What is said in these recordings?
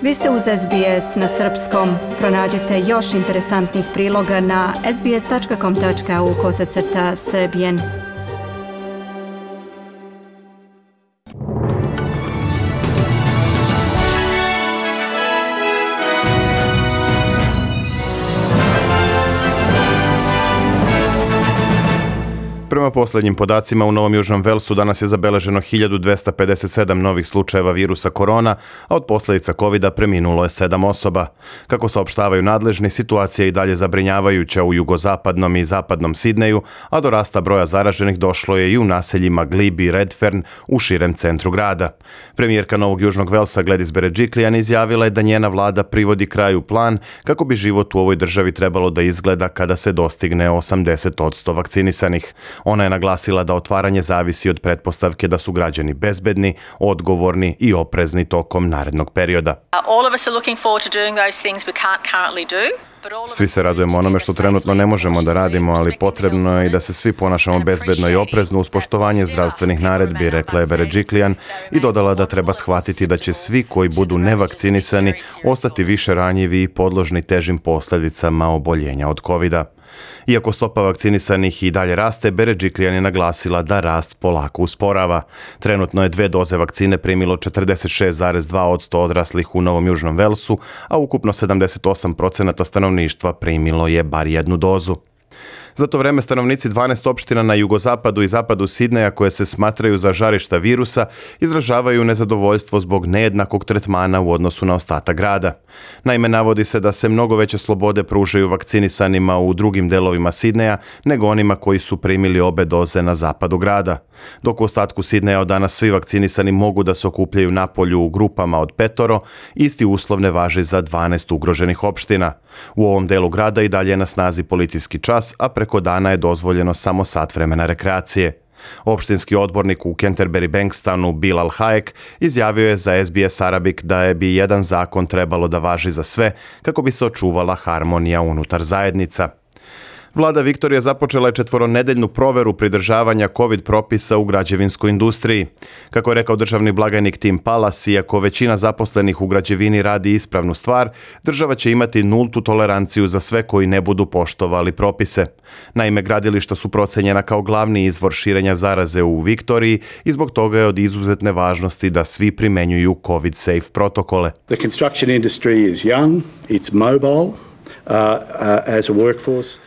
Vi ste uz SBS na srpskom. Pronađite još interesantnih priloga na sbs.com.au/srbijen. Prema posljednjim podacima, u Novom Južnom Velsu danas je zabeleženo 1257 novih slučajeva virusa korona, a od posljedica COVID-a preminulo je 7 osoba. Kako saopštavaju nadležni, situacija je i dalje zabrinjavajuća u jugozapadnom i zapadnom Sidneju, a do rasta broja zaraženih došlo je i u naseljima Glebe i Redfern u širem centru grada. Premijerka Novog Južnog Velsa Gladys Berejiklian izjavila je da njena vlada privodi kraju plan kako bi život u ovoj državi trebalo da izgleda kada se dostigne 80% vakcinisanih. Ona je naglasila da otvaranje zavisi od pretpostavke da su građani bezbedni, odgovorni i oprezni tokom narednog perioda. Svi se radujemo onome što trenutno ne možemo da radimo, ali potrebno je i da se svi ponašamo bezbedno i oprezno uz poštovanje zdravstvenih naredbi, rekla je Berejiklian i dodala da treba shvatiti da će svi koji budu nevakcinisani ostati više ranjivi i podložni težim posljedicama oboljenja od COVID-a. Iako stopa vakcinisanih i dalje raste, Berejiklian je naglasila da rast polako usporava. Trenutno je 2 doze vakcine primilo 46,2% odraslih u Novom Južnom Velsu, a ukupno 78% stanovništva primilo je bar 1 dozu. Za to vreme stanovnici 12 opština na jugozapadu i zapadu Sidneja koje se smatraju za žarišta virusa izražavaju nezadovoljstvo zbog nejednakog tretmana u odnosu na ostatak grada. Naime, navodi se da se mnogo veće slobode pružaju vakcinisanima u drugim delovima Sidneja nego onima koji su primili obe doze na zapadu grada. Dok u ostatku Sidneja od danas svi vakcinisani mogu da se okupljaju napolju u grupama od 5, isti uslov ne važi za 12 ugroženih opština. U ovom delu grada i dalje je na snazi policijski čas, a preko dana je dozvoljeno samo sat vremena rekreacije. Opštinski odbornik u Canterbury Bankstonu Bill Al-Hayek izjavio je za SBS Arabic da bi jedan zakon trebalo da važi za sve kako bi se očuvala harmonija unutar zajednica. Vlada Viktorije započela je 4-nedeljnu proveru pridržavanja COVID propisa u građevinskoj industriji. Kako je rekao državni blagajnik Tim Pallas, iako većina zaposlenih u građevini radi ispravnu stvar, država će imati nultu toleranciju za sve koji ne budu poštovali propise. Naime, gradilišta su procenjena kao glavni izvor širenja zaraze u Viktoriji i zbog toga je od izuzetne važnosti da svi primenjuju COVID-safe protokole. The construction industry is young, it's mobile, as a workforce.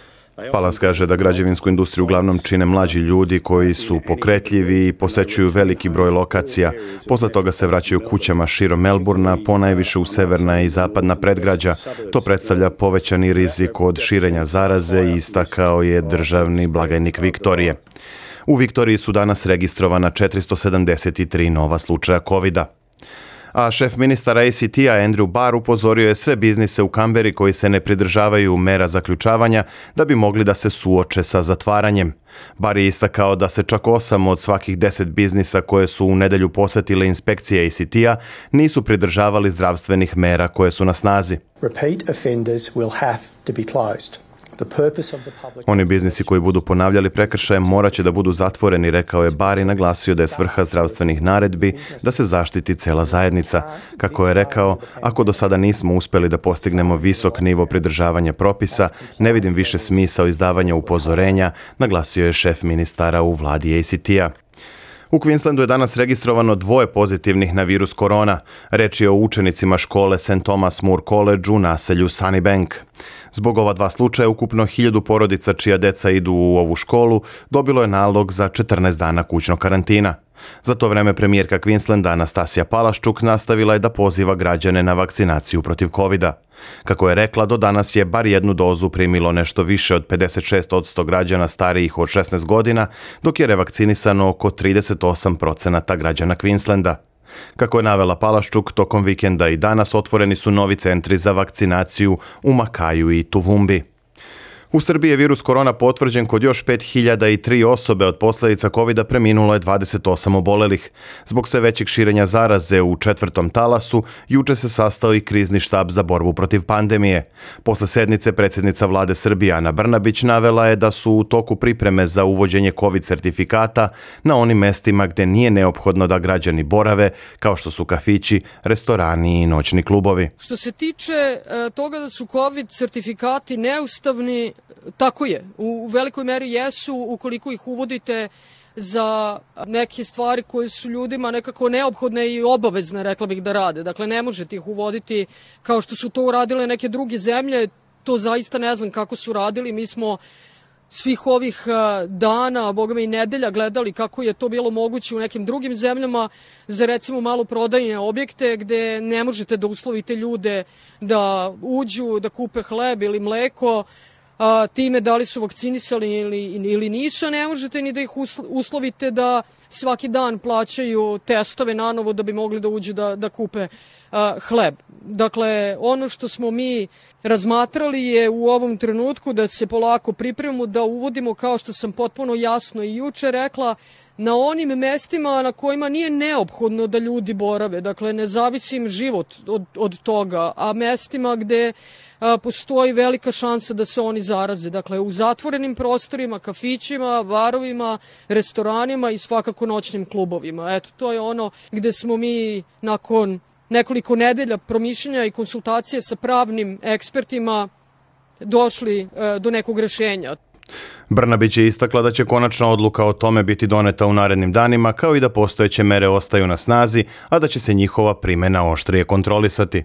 Pallas kaže da građevinsku industriju uglavnom čine mlađi ljudi koji su pokretljivi i posećuju veliki broj lokacija. Posle toga se vraćaju kućama širom Melburna, ponajviše u severna i zapadna predgrađa. To predstavlja povećani rizik od širenja zaraze, istakao je državni blagajnik Viktorije. U Viktoriji su danas registrovana 473 nova slučaja COVID-a. A šef ministara ACT-a Andrew Barr upozorio je sve biznise u Kamberi koji se ne pridržavaju mera zaključavanja da bi mogli da se suoče sa zatvaranjem. Barr je istakao da se čak 8 od svakih 10 biznisa koje su u nedelju posjetile inspekcije ACT-a nisu pridržavali zdravstvenih mera koje su na snazi. Repeat offenders will have to be closed. Oni biznisi koji budu ponavljali prekršaje morat će da budu zatvoreni, rekao je Barr i naglasio da je svrha zdravstvenih naredbi da se zaštiti cela zajednica. Kako je rekao, ako do sada nismo uspjeli da postignemo visok nivo pridržavanja propisa, ne vidim više smisao izdavanja upozorenja, naglasio je šef ministara u vladi ACT-a. U Queenslandu je danas registrovano 2 pozitivnih na virus korona. Reč je o učenicima škole St. Thomas More College u naselju Sunnybank. Zbog ova 2 slučaja, ukupno 1000 porodica čija deca idu u ovu školu dobilo je nalog za 14 dana kućnog karantina. Za to vreme premijerka Queenslanda Anastasija Palaščuk nastavila je da poziva građane na vakcinaciju protiv COVID-a. Kako je rekla, do danas je bar 1 dozu primilo nešto više od 56% građana starijih od 16 godina, dok je revakcinisano oko 38% građana Queenslanda. Kako je navela Palaščuk, tokom vikenda i danas otvoreni su novi centri za vakcinaciju u Makaju i Tuvumbi. U Srbiji je virus korona potvrđen kod još 5003 osobe, od posljedica COVID-a preminulo je 28 obolelih. Zbog sve većeg širenja zaraze u 4. talasu, juče se sastao i krizni štab za borbu protiv pandemije. Posle sednice predsjednica vlade Srbije Ana Brnabić navela je da su u toku pripreme za uvođenje COVID sertifikata na onim mestima gdje nije neophodno da građani borave, kao što su kafići, restorani i noćni klubovi. Što se tiče toga da su COVID sertifikati neustavni, tako je. U velikoj meri jesu ukoliko ih uvodite za neke stvari koje su ljudima nekako neophodne i obavezne, rekla bih, da rade. Dakle, ne možete ih uvoditi kao što su to uradile neke druge zemlje. To zaista ne znam kako su radili. Mi smo svih ovih dana, a boga mi i nedelja, gledali kako je to bilo moguće u nekim drugim zemljama za recimo maloprodajne objekte gde ne možete da uslovite ljude da uđu, da kupe hleb ili mleko, time da li su vakcinisali ili nisu, a ne možete ni da ih uslovite da svaki dan plaćaju testove nanovo da bi mogli da uđu da kupe hleb. Dakle, ono što smo mi razmatrali je u ovom trenutku da se polako pripremimo, da uvodimo, kao što sam potpuno jasno i juče rekla, na onim mestima na kojima nije neophodno da ljudi borave. Dakle, ne zavisi im život od toga, a mestima gde postoji velika šansa da se oni zaraze. Dakle, u zatvorenim prostorima, kafićima, barovima, restoranima i svakako noćnim klubovima. Eto, to je ono gde smo mi nakon nekoliko nedelja promišljanja i konsultacije sa pravnim ekspertima došli do nekog rešenja. Brnabić je istakla da će konačna odluka o tome biti doneta u narednim danima, kao i da postojeće mere ostaju na snazi, a da će se njihova primjena oštrije kontrolisati.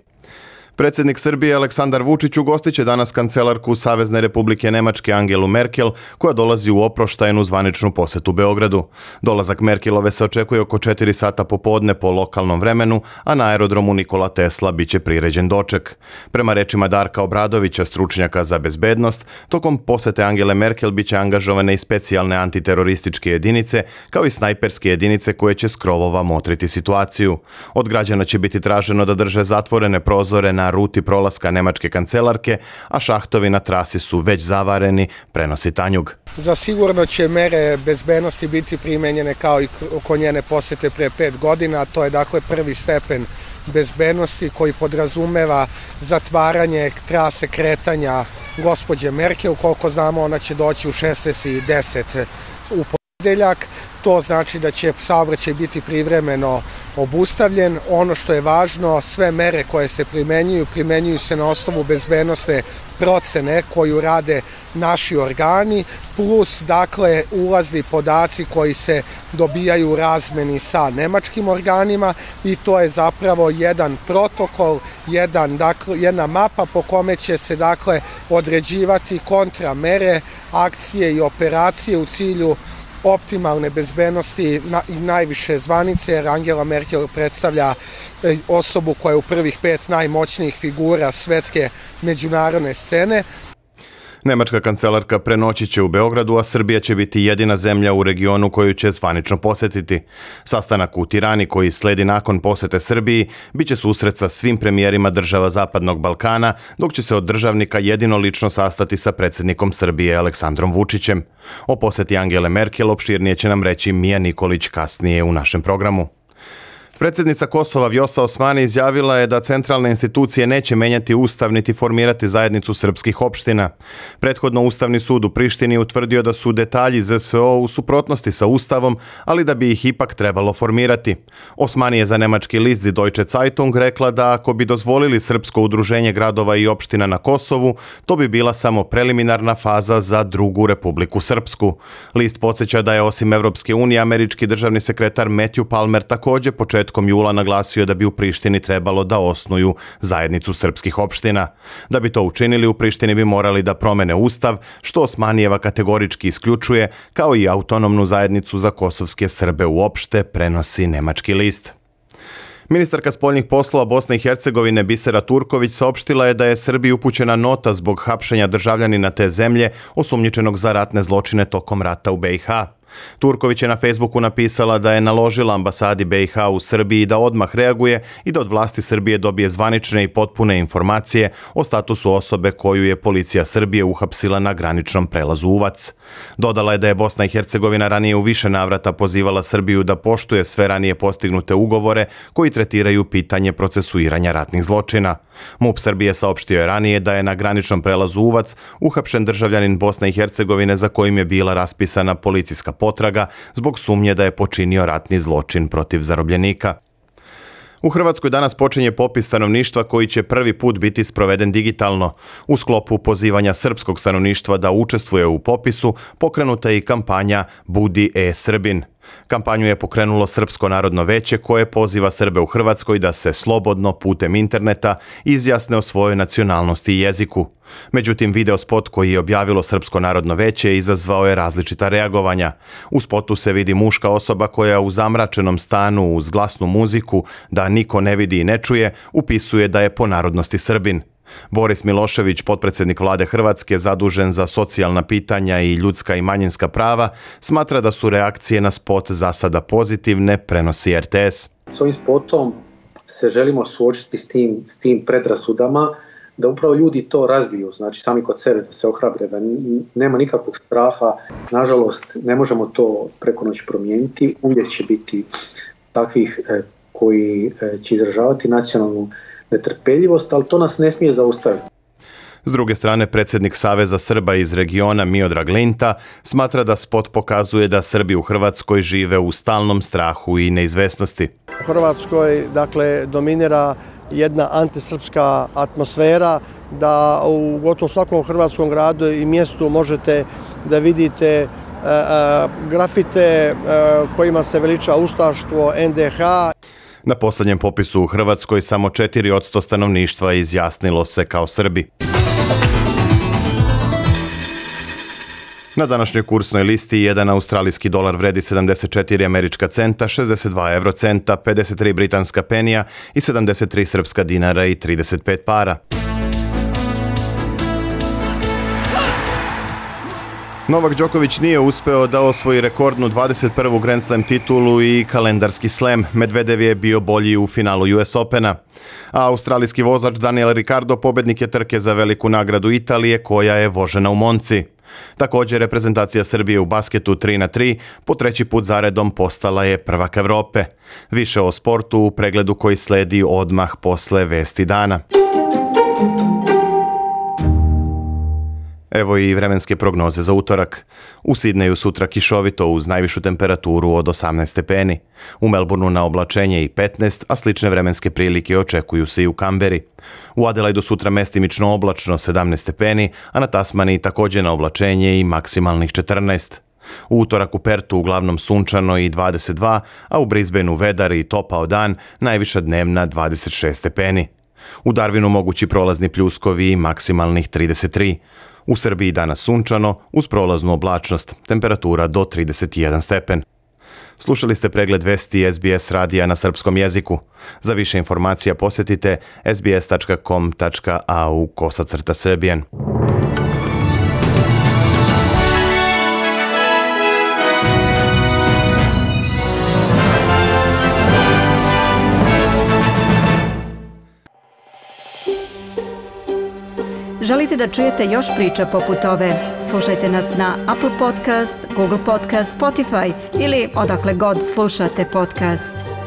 Predsjednik Srbije Aleksandar Vučić ugostit će danas kancelarku Savezne Republike Nemačke Angelu Merkel, koja dolazi u oproštajnu zvaničnu posetu Beogradu. Dolazak Merkelove se očekuje oko 4 sata popodne po lokalnom vremenu, a na aerodromu Nikola Tesla biće priređen doček. Prema rečima Darka Obradovića, stručnjaka za bezbednost, tokom posete Angele Merkel biće angažovane i specijalne antiterorističke jedinice, kao i snajperske jedinice koje će s krovova motriti situaciju. Od građana će biti traženo da drže zatvorene prozore na ruti prolaska nemačke kancelarke, a šahtovi na trasi su već zavareni, prenosi Tanjug. Zasigurno će mere bezbednosti biti primenjene kao i oko njene posete pre 5 godina. To je dakle prvi stepen bezbednosti koji podrazumeva zatvaranje trase kretanja gospođe Merkel. Koliko znamo, ona će doći u 16:10 u ponedeljak. To znači da će saobraćaj biti privremeno obustavljen. Ono što je važno, sve mere koje se primenjuju se na osnovu bezbednosne procene koju rade naši organi, plus dakle ulazni podaci koji se dobijaju u razmeni sa nemačkim organima, i to je zapravo jedan protokol, jedna mapa po kome će se dakle određivati kontramere, akcije i operacije u cilju optimalne bezbednosti i najviše zvanice, jer Angela Merkel predstavlja osobu koja je u prvih 5 najmoćnijih figura svetske međunarodne scene. Nemačka kancelarka prenoći će u Beogradu, a Srbija će biti jedina zemlja u regionu koju će zvanično posetiti. Sastanak u Tirani, koji sledi nakon posete Srbiji, biće susret sa svim premijerima država Zapadnog Balkana, dok će se od državnika jedino lično sastati sa predsjednikom Srbije Aleksandrom Vučićem. O poseti Angele Merkel opširnije će nam reći Mija Nikolić kasnije u našem programu. Predsjednica Kosova Vjosa Osmani izjavila je da centralne institucije neće menjati ustav niti formirati zajednicu srpskih opština. Prethodno Ustavni sud u Prištini utvrdio da su detalji ZSO u suprotnosti sa ustavom, ali da bi ih ipak trebalo formirati. Osmani je za nemački list Die Deutsche Zeitung rekla da ako bi dozvolili srpsko udruženje gradova i opština na Kosovu, to bi bila samo preliminarna faza za drugu Republiku Srpsku. List podsjeća da je osim Evropske unije američki državni sekretar Matthew Palmer također početkom jula naglasio da bi u Prištini trebalo da osnuju zajednicu srpskih opština. Da bi to učinili, u Prištini bi morali da promene ustav, što Osmanijeva kategorički isključuje, kao i autonomnu zajednicu za kosovske Srbe uopšte, prenosi nemački list. Ministarka spoljnih poslova Bosne i Hercegovine Bisera Turković saopštila je da je Srbiji upućena nota zbog hapšenja državljanina te zemlje osumnjičenog za ratne zločine tokom rata u BiH. Turković je na Facebooku napisala da je naložila ambasadi BiH u Srbiji da odmah reaguje i da od vlasti Srbije dobije zvanične i potpune informacije o statusu osobe koju je policija Srbije uhapsila na graničnom prelazu Uvac. Dodala je da je Bosna i Hercegovina ranije u više navrata pozivala Srbiju da poštuje sve ranije postignute ugovore koji tretiraju pitanje procesuiranja ratnih zločina. MUP Srbije saopštio je ranije da je na graničnom prelazu Uvac uhapšen državljanin Bosne i Hercegovine za kojim je bila raspisana policijska potraga zbog sumnje da je počinio ratni zločin protiv zarobljenika. U Hrvatskoj danas počinje popis stanovništva koji će prvi put biti sproveden digitalno. U sklopu pozivanja srpskog stanovništva da učestvuje u popisu pokrenuta je i kampanja Budi e-Srbin. Kampanju je pokrenulo Srpsko narodno veće koje poziva Srbe u Hrvatskoj da se slobodno putem interneta izjasne o svojoj nacionalnosti i jeziku. Međutim, videospot koji je objavilo Srpsko narodno veće izazvao je različita reagovanja. U spotu se vidi muška osoba koja u zamračenom stanu uz glasnu muziku da niko ne vidi i ne čuje upisuje da je po narodnosti Srbin. Boris Milošević, potpredsjednik vlade Hrvatske zadužen za socijalna pitanja i ljudska i manjinska prava, smatra da su reakcije na spot za sada pozitivne, prenosi RTS. S ovim spotom se želimo suočiti s tim predrasudama, da upravo ljudi to razbiju, znači sami kod sebe da se ohrabre, da nema nikakvog straha. Nažalost, ne možemo to preko noći promijeniti, uvijek će biti takvih koji će izražavati nacionalnu netrpeljivost, ali to nas ne smije zaustaviti. S druge strane, predsjednik Saveza Srba iz regiona Miodrag Linta smatra da spot pokazuje da Srbi u Hrvatskoj žive u stalnom strahu i neizvesnosti. U Hrvatskoj, dominira jedna antisrpska atmosfera, da u gotovo svakom hrvatskom gradu i mjestu možete da vidite grafite kojima se veliča ustaštvo, NDH. Na posljednjem popisu u Hrvatskoj samo 4% stanovništva izjasnilo se kao Srbi. Na današnjoj kursnoj listi jedan australijski dolar vredi 74 američka centa, 62 eurocenta, 53 britanska penija i 73 srpska dinara i 35 para. Novak Đoković nije uspeo da osvoji rekordnu 21. Grand Slam titulu i kalendarski slam. Medvedev je bio bolji u finalu US Opena. A australijski vozač Daniel Ricciardo pobednik je trke za veliku nagradu Italije koja je vožena u Monci. Također, reprezentacija Srbije u basketu 3x3 po treći put zaredom postala je prvak Evrope. Više o sportu u pregledu koji sledi odmah posle vesti dana. Evo i vremenske prognoze za utorak. U Sidneju sutra kišovito uz najvišu temperaturu od 18 stepeni. U Melbourneu na oblačenje i 15, a slične vremenske prilike očekuju se i u Kamberi. U Adelaidu sutra mestimično oblačno 17 stepeni, a na Tasmaniji također na oblačenje i maksimalnih 14. U utorak u Pertu uglavnom sunčano i 22, a u Brisbaneu vedar i topao dan, najviša dnevna 26 stepeni. U Darwinu mogući prolazni pljuskovi i maksimalnih 33. U Srbiji danas sunčano, uz prolaznu oblačnost, temperatura do 31 stepen. Slušali ste pregled vesti SBS radija na srpskom jeziku. Za više informacija posjetite sbs.com.au/Srbijan. Želite da čujete još priča poput ove? Slušajte nas na Apple Podcast, Google Podcast, Spotify ili odakle god slušate podcast.